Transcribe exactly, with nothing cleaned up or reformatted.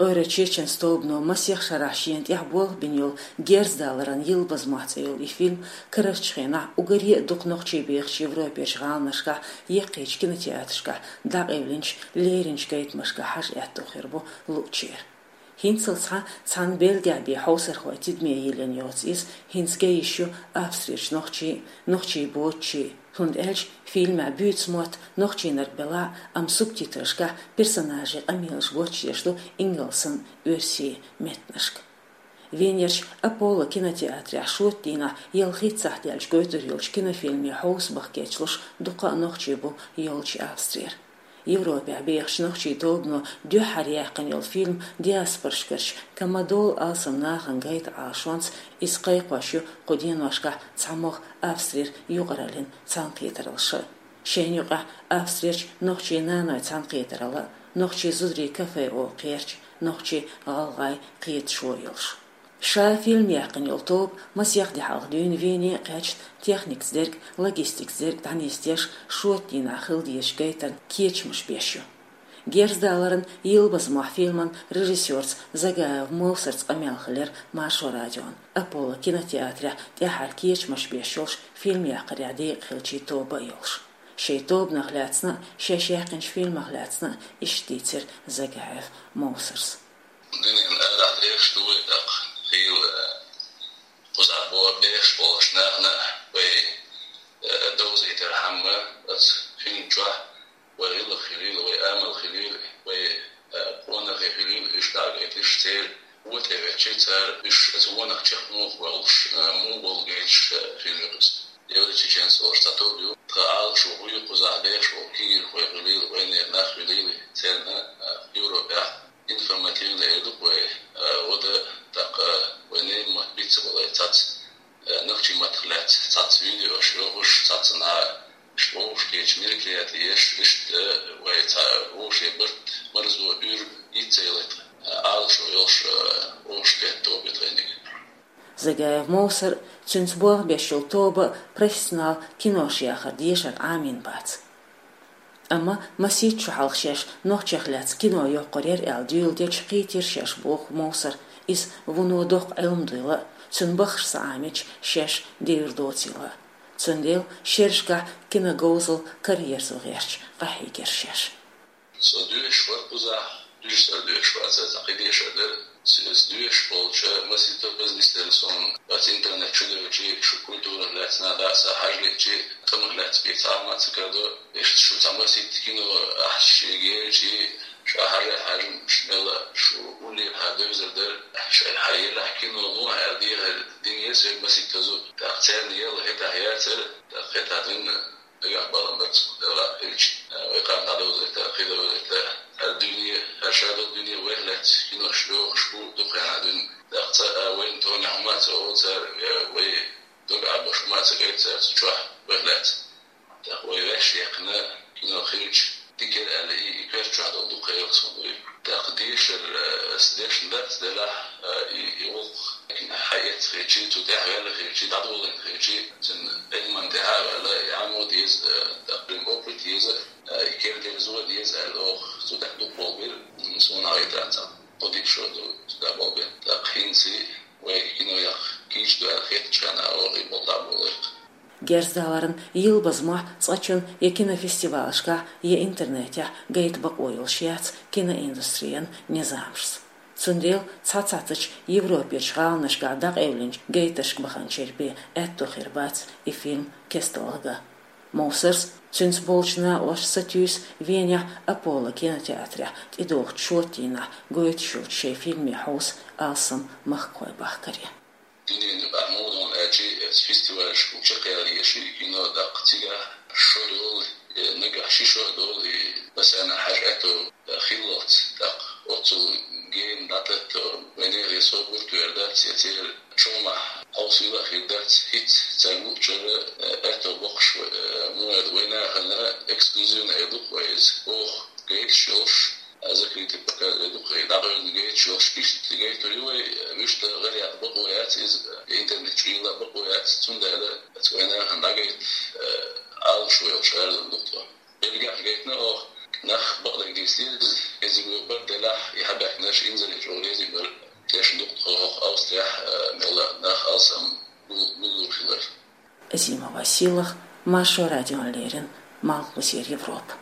Ойра чечен столбано масех шарахь шена тӀехь болх бина йолу «Герздаларан йилбазмохь» цӀе йолу и фильм карарчу хенахь уггаре а дукха нохчий бехачу Европерчу гӀаланашкахь еккхийчу кинотеатрашкахь дӀакъевлинчу леринчу гайтамашкахь хьажа аьтто хир бу луучеран. ХӀинццалц цхьа цхьана Бельгехь бен хьовсархойн тидаме йиллина йоцу иза, хӀинца ган йиш ю Австрерчу нохчий, нохчий боцчий. ХӀунда аьлча фильмехь буьйцу мотт нохчийнарг белахь а, амма субтитрашкахь персонажийн къамелаш гочдеш ду ингалсан, оьрсийн меттанашка. Венерчу «Аполло» кинотеатрехь шоьтан дийнахь ялхитта сахьт даьлча гойтур йолчу кинофильме хьовса баха кечлуш дуккха а нохчий бу йолчу Австрера. Европехь бехачу нохчийн тобано дуьххьара яьккхина йолу фильм диаспорашкарчу, кама долу алсам нахана гайта Ӏалашонца, иза кхайкхош ю кху деношкахь цхьамогӀа Австрера юкъараллин цхьаьнакхетараллаш. Шайна юкъахь Австрерчу нохчийн нанойн цхьаьнакхетаралла, нохчийн зударийн кафе олу кхерч, нохчийн, гӀалгӀайн кхеташо йолуш. Ша фильм яьккхина йолу тоба масех де хьалха дуьйна Вене а кхаьчна, техникаца дерг, логистикаца дерг дӀанисдеш, шоьтан дийнахь хила дезачу гайтарна кечамаш беш ю. «Герздаларан йилбазмохь» фильман режиссёрца Загаев Мовсарца къамел хилира Маршо радион. «Аполло» кинотеатрехь тӀаьххьара кечамаш беш йолуш, фильм яккхарехь декъахилчийн тоба а йолуш. Шайн тобанах лаьцна а, шаьш яьккхинчу фильмах лаьцна а иштта дийцира Загаев Мовсарс. Дуьненан арахь дехаш ду вай, тӀаккха хийла, э, кхузахь бо-, бехаш болчу нахана вай, э, довзийтархьама, оцу фильм чохь вай гӀиллакх хилийла, вай амал хилийла, вай, э, къонахий хилийла, уьш дӀагайташ, церан вон тӀе веттачи цара, уьш оцу вонах чекх муха болуш, э, муха болу гайташ, э, фильм ю иза. Еврочеченцы олуш цхьа тоба ю, тхан Ӏалашо хӀун ю, кхузахь бехаш болу кегийрхой хилийла, вайнера нах хилийла, церан, э, Европехь информативный эр ду-кх вай, э, ода, тӀаккха вай ненан мотт бицбале цац, э, нохчийн маттах лаьцна цац видеош йохуш, цац наха иштта вовшахкхеташ мероприятие еш, иштта вай цхьа вовшийн барт, марзо, уьйр йицъелла, э, Ӏалашо йолуш, э, вовшахкхетта тоба ю тхайниг. Загаев Мовсар, цуьнца болх беш йолу тоба профессионал кинош яхар дешар Ӏамийна бац. Амма масийтта шо хьалха шаьш нохчех лаьцна кино йоккхур яра аьлла дуьйладелча кхийтира шаьш, боху Мовсара, иза вуно доккха Ӏилма дуйла а, цуьнан баххаш ца Ӏамийча шаьш девр доцийла а. Цундела шерашкахь киноговзалла карьерзо гӀерташ къахьийгира шаьш. Со доьшуш вара кхузахь, дуьйш ца доьшуш вац, цхьа кхин дешар дара. Со доьшуш волча масийтта база нисделла суна, вац интернет чу девлчи, шу культурах лаьцна даа сан хьажличи, тӀамах лаьцна бен цхьа а ма ца карадо, иштта шу цхьа масийтта кино ахча шега елчи, ша хьажа хьажа мел шу уллехьа девзар дара, ша хьаелахь кино лохьа аьлла дехар динера соьга масийтта зу, тӀаккха церан елла хӀетахь яцара, тӀаккха хӀетахь динна. Нагахь бала бац, Дала хилча, вай къам дӀадовзийта, кхидовзийта, хӀара дуьне, хӀара шадолу дуьне вайх лаьцна кинош йохуш бу дукха хенахь дуьйна. ТӀаккха ца а вайна тхуна хӀума а ца олу цара, я вай дог Ӏабош хӀума а ца гайта цара цу чохь вайх лаьцна. ТӀаккха вай ваьш яьккхина кино хилча, дика яра аьлла, и, и коьрта чохь долу дукха хьекъал суна дуй. ТӀаккха дешар, э, ас дешна дац делахь, э, и, и гӀуллакх хьаэцна хилчи, цу тӀехь ваьлла хилчи, дӀадолийна хилчи, цуьнан Ӏилман тӀехь а ваьлла, и Ӏамо деза, э, тӀаккха опыт еза, э, и кара дерзо деза аьлла оха цу тӀехь дукха болх бира, м, суна хьаийтарца. Кхо-диъ шо ду цу тӀехь болх бина. ТӀаккха хӀинца вай кино яккха кийча ду аьлла хеттачу хенахь оха и болх дӀаболийта. Герздаларан йилбазмохь цкъачунна я кинофестивалашкахь, я интернетехь гайта бакъо йолуш яц киноиндустриян низамашца. Цундела цхьа цхьацца Европерчу гӀаланашкахь дӀакъевлинчу гайтаршка баханчеран бен аьтто хир бац и фильм кестта ган. Мовсарс, цуьнца болчу накъосташа сатуьйсу Венехь «Аполло» кинотеатрехь тӀедогӀучу шоьтан дийнахь гойтуш йолчу шайн фильме хьовса алсам махкахой бахкаре. Дуьненан юкъахь муха ду аьлчи, оцу фестивалашка чекхъяла езаш ю и кино, тӀаккха цигахь шо долу, э, нагахь ши шо а долу, и массарна хьажа аьтто хиллалц, тӀаккха оццул гена дӀататта вайн нехан собар тоьар дац, я церан чомахь хьовсийла а хир дац, хӀинца царна луучара, э, аьтто боккхуш, э, муха аьлла, вайн нахана эксклюзивно эр ду-кх вай иза. Оха гайташ йолуш, закрытый показ эр ду-кх вай, дӀакъевлина гайташ йолуш, иштта гайтур ю вай, вуьшта гӀараяха бакъо яц иза, интернет чу йилла бакъо яц, цундела аса вайн нахана дӀагайта, э, Ӏалашо йолуш гӀерзор ду-кх тхо. Бельгехь гайтина оха, Нах бакъдерг дийцилиз, эздийриг бар, делахь, и хьабаьхкинарш инзаре чӀогӀа реза бар. Тешаш да-кх тхо хӀокху Австрехь, э, мел нах алсам гуллур хилар. Азимова Сийлаха, Маршо радиона леррина, Малхбузера Европа.